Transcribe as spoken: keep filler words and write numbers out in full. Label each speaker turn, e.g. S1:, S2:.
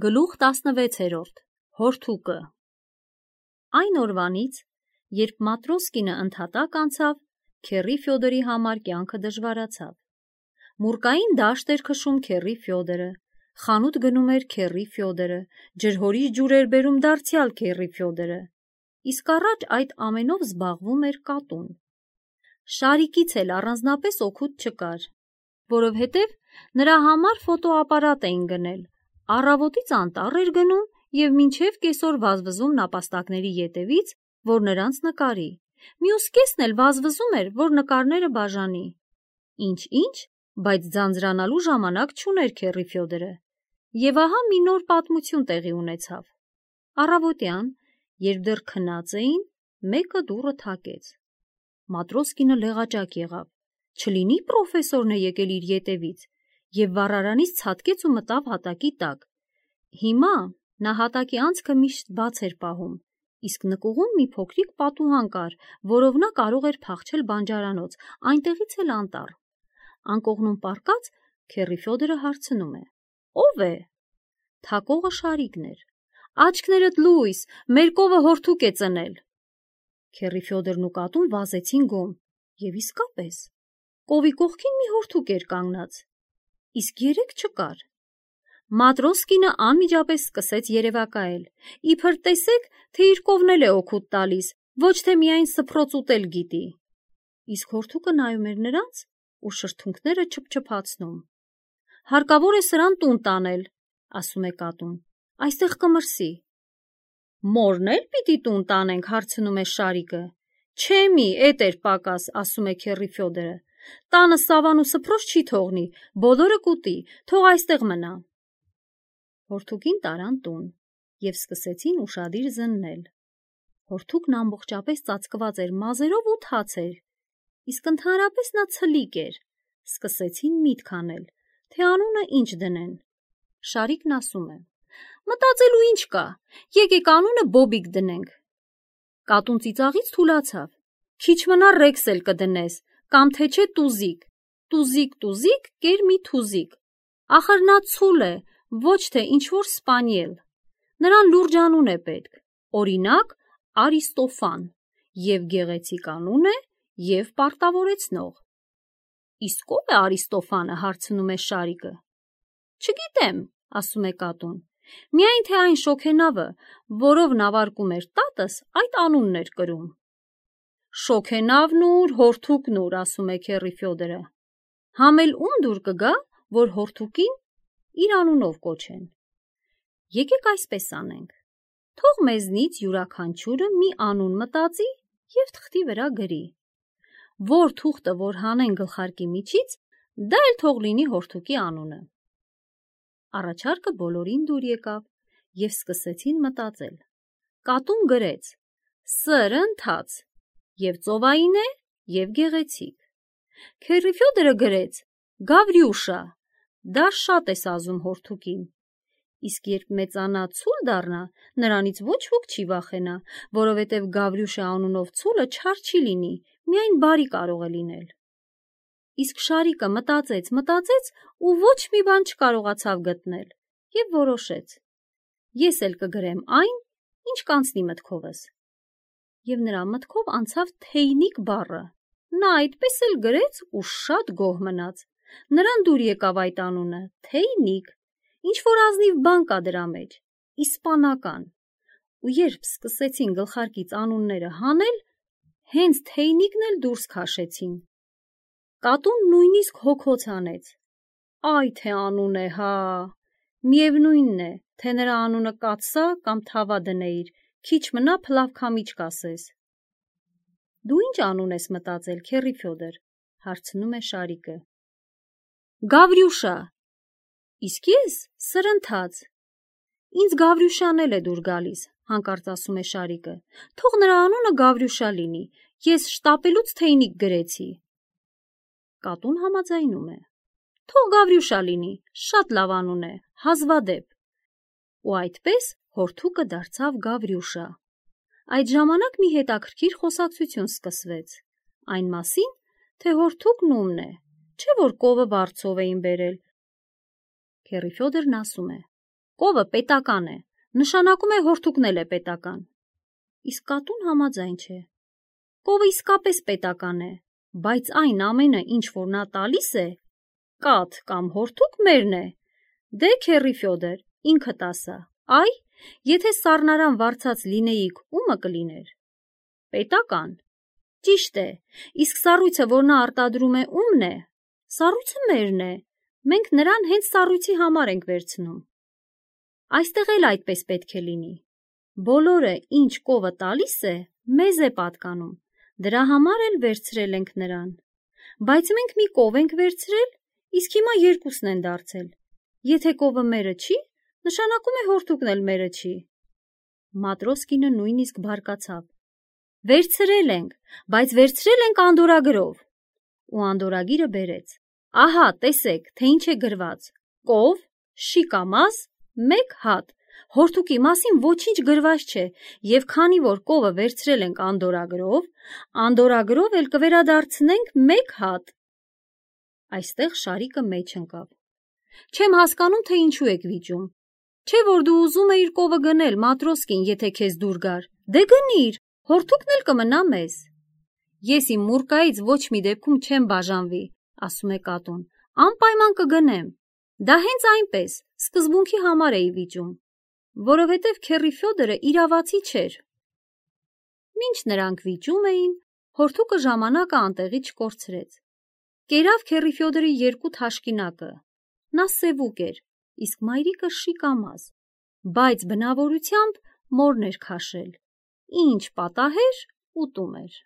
S1: Գլուխ տասնվեցերորդ. Հորթուկը։ Այն օրվանից, երբ Մատրոսկինը ընդհատակ անցավ, քեռի Ֆյոդորի համար կյանքը դժվարացավ։ Մուրկային դաշտ էր քշում քեռի Ֆյոդորը, խանութ գնում էր քեռի Ֆյոդորը, ջրհորից ջուր էր բերում դարձյալ քեռի Ֆյոդորը, իսկ առաջ այդ ամենով զբաղվում էր կատուն։ Շարիկից էլ առանձնապես օգուտ չկար, որովհետև նրա համար ֆոտոապարատ էին գնել, առավոտից անտառ էր գնում և մինչև կեսօր վազվզում նապաստակների ետևից, որ նրանց նկարի, մյուս կեսն էլ վազվզում էր, որ նկարները բաժանի։ Ինչ-ինչ, բայց ձանձրանալու ժամանակ չուներ քեռի Ֆյոդորը, և ահա մի նոր պատմություն տեղի ունեցավ։ Առավոտյան, երբ դեռ քնած էին, մեկը դուռը թակեց։ Մատրոսկինը լեղաճակ եղավ, չլինի պրոֆեսորն է եկել իր ետևից, և վառարանից ցատկեց ու մտավ հատակի տակ։ Հիմա նա հատակի անցքը միշտ բաց էր պահում, իսկ նկուղում մի փոքրիկ պատուհան կար, որով նա կարող էր փախչել բանջարանոց, այնտեղից էլ անտառ։ Անկողնում պառկած, քեռի Ֆյոդորը հարցնում է. «Ո՞վ է»։ Թակողը Շարիկն էր։ «Աչքներդ լույս, մեր կովը հորթուկ է ծնել»։ Քեռի Ֆյոդորն ու կատուն վազեցին գոմ, և իսկապես, կովի կողքին մի հորթուկ էր կանգնած, իսկ երեկ չկար։ Մատրոսկինը անմիջապես սկսեց երևակայել, իբր տեսեք, թե իր կովն էլ է օգուտ տալիս, ոչ թե միայն սփռոց ուտել գիտի։ Իսկ հորթուկը նայում էր նրանց ու շրթունքները չփչփացնում։ «Հարկավոր է սրան տուն տանել», ասում է կատուն, «այստեղ կմրսի»։ «Մորն էլ պիտի տուն տանենք», հարցնում է Շարիկը։ «Չէ մի, էդ էր պակաս», ասում է քեռի Ֆյոդորը, «տանը սավան ու սփռոց չի թողնի, բոլորը կուտի, թող այստեղ մնա»։ Հորթուկին տարան տուն և սկսեցին ուշադիր զննել։ Հորթուկն ամբողջապես ծածկված էր մազերով ու թացեր, իսկ ընդհանրապես նա ցլիկ էր։ Սկսեցին միտք անել, թե անունը ինչ դնեն։ Շարիկն ասում է. «Մտածելու ինչ կա, եկեք անունը Բոբիկ դնենք»։ Կատուն ծիծաղից թուլացավ. «Քիչ մնա Ռեքս էլ կդնես, կամ թե չէ Տուզիկ, Տուզիկ, Տուզիկ, կեր մի թուզիկ, ախր նա ցուլ է, ոչ թե ինչ-որ սպանիել։ Նրան լուրջ անուն է պետք, օրինակ Արիստոֆան, և գեղեցիկ անուն է, և պարտավորեցնող»։ «Իսկ ո՞վ է Արիստոֆանը», հարցնում է Շարիկը։ «Չգիտեմ», ասում է կատուն, «միայն թե այն շոգենավը, որով նավարկում էր տատս, այդ անունն էր կրում»։ «Շոգենավն ուր, հորթուկն ուր», ասում է քեռի Ֆյոդորը, «համ էլ ում դուր կգա, որ հորթուկին իր անունով կոչեն։ Եկեք այսպես անենք, թող մեզնից յուրաքանչյուրը մի անուն մտածի և թղթի վրա գրի։ Որ թուղթը որ հանեն գլխարկի միջից, դա էլ թող լինի հորթուկի անունը»։ Առաջարկը բոլորին դուր եկավ, և սկսեցին մտածել։ Կատուն գրեց. «Սրընթաց», և ծովային է, և գեղեցիկ։ Քեռի Ֆյոդորը գրեց. «Գավրյուշա», դա շատ է սազում հորթուկին։ Իսկ երբ մեծանա, ցուլ դառնա, նրանից ոչ ոք չի վախենա, որովհետև Գավրյուշա անունով ցուլը չար չի լինի, միայն բարի կարող է լինել։ Իսկ Շարիկը մտածեց, մտածեց ու ոչ մի բան չկարողացավ գտնել և որոշեց. «Ես էլ կգրեմ այն, ինչ կանցնի մտքովս»։ Եվ նրա մտքով անցավ թեյնիկ բառը։ Նա այդպես էլ գրեց ու շատ գոհ մնաց։ Նրան դուր եկավ այդ անունը՝ թեյնիկ, ինչ-որ ազնիվ բան կա դրա մեջ, իսպանական։ Ու երբ սկսեցին գլխարկից անունները հանել, հենց թեյնիկն էլ դուրս քաշեցին։ Կատուն նույնիսկ հոգոց հանեց. «Այ թե անուն է, հա, միևնույնն է, թե նրա անունը կաթսա կամ թավա դնեիր, քիչ մնա փլավքամիչ կասես»։ «Դու ինչ անուն ես մտածել, քեռի Ֆյոդոր», հարցնում է Շարիկը։ «Գավրյուշա»։ «Իսկ ես Սրընթաց»։ «Ինձ Գավրյուշան էլ է դուր գալիս», հանկարծ ասում է Շարիկը, «թող նրա անունը Գավրյուշա լինի, ես շտապելուց թեյնիկ գրեցի»։ Կատուն համաձայնում է. «Թող Գավրյուշա լինի, շատ լավ անուն է, հազվադեպ»։ Ու այդպես հորթուկը դարձավ Գավրյուշա։ Այդ ժամանակ մի հետաքրքիր խոսակցություն սկսվեց, այն մասին, թե հորթուկն ումն է, չէ որ կովը վարձով էին բերել։ Քեռի Ֆյոդորն ասում է. Կովը պետական է, նշանակում է հորթուկն էլ է պետական։ Իսկ կատուն համաձայն չէ։ Կովը իսկապես պետական է, բայց այն ամենը, ինչ որ նա տալիս է, կաթ կամ հորթուկ մերն է։ Դե քեռի Ֆյոդոր, ինքդ ասա, այ, եթե սառնարան վարձած լինեիք, ումը կլիներ։ Պետական։ Ճիշտ է, իսկ սառույցը, որ նա արտադրում է, ումն է։ Սառույցը մերն է, մենք նրան հենց սառույցի համար ենք վերցնում։ Այստեղ էլ այդպես պետք է լինի։ Բոլորը, ինչ կովը տալիս է, մեզ է պատկանում, դրա համար էլ վերցրել ենք նրան։ Բայց մենք մի կով ենք վերցրել, իսկ հիմա երկուսն են դարձել։ Եթե կովը մերը չի, նշանակում է հորթուկն էլ մերը չի։ Մատրոսկինը նույնիսկ բարկացավ։ Վերցրել ենք, բայց վերցրել ենք անդորրագրով։ Ու անդորրագիրը բերեց։ Ահա, տեսեք, թե ինչ է գրված. կով, շիկամազ, մեկ հատ։ Հորթուկի մասին ոչինչ գրված չէ, եւ քանի որ կովը վերցրել ենք անդորրագրով, անդորրագրով էլ կվերադարձնենք մեկ հատ։ Այստեղ Շարիկը մեջ ընկավ։ Չեմ հասկանում, թե ինչու եք վիճում։ Չէ որ դու ուզում էիր կովը գնել, Մատրոսկին, եթե քեզ դուր գար։ Դե գնիր, հորթուկն էլ կմնա մեզ։ Ես իմ մուրկայից ոչ մի դեպքում չեմ բաժանվի, ասում է կատուն, անպայման կգնեմ։ Դա հենց այնպես, սկզբունքի համար էի վիճում, որովհետև քեռի Ֆյոդորը իրավացի չէր։ Մինչ նրանք վիճում էին, հորթուկը ժամանակը անտեղի չկորցրեց։ Կերավ քեռի Ֆյոդորի երկու թաշկինակը։ Նա սևուկ էր, իսկ մայրիկը շիկամազ, բայց բնավորությամբ մորն էր քաշել։ Ինչ պատահեր, ուտում էր։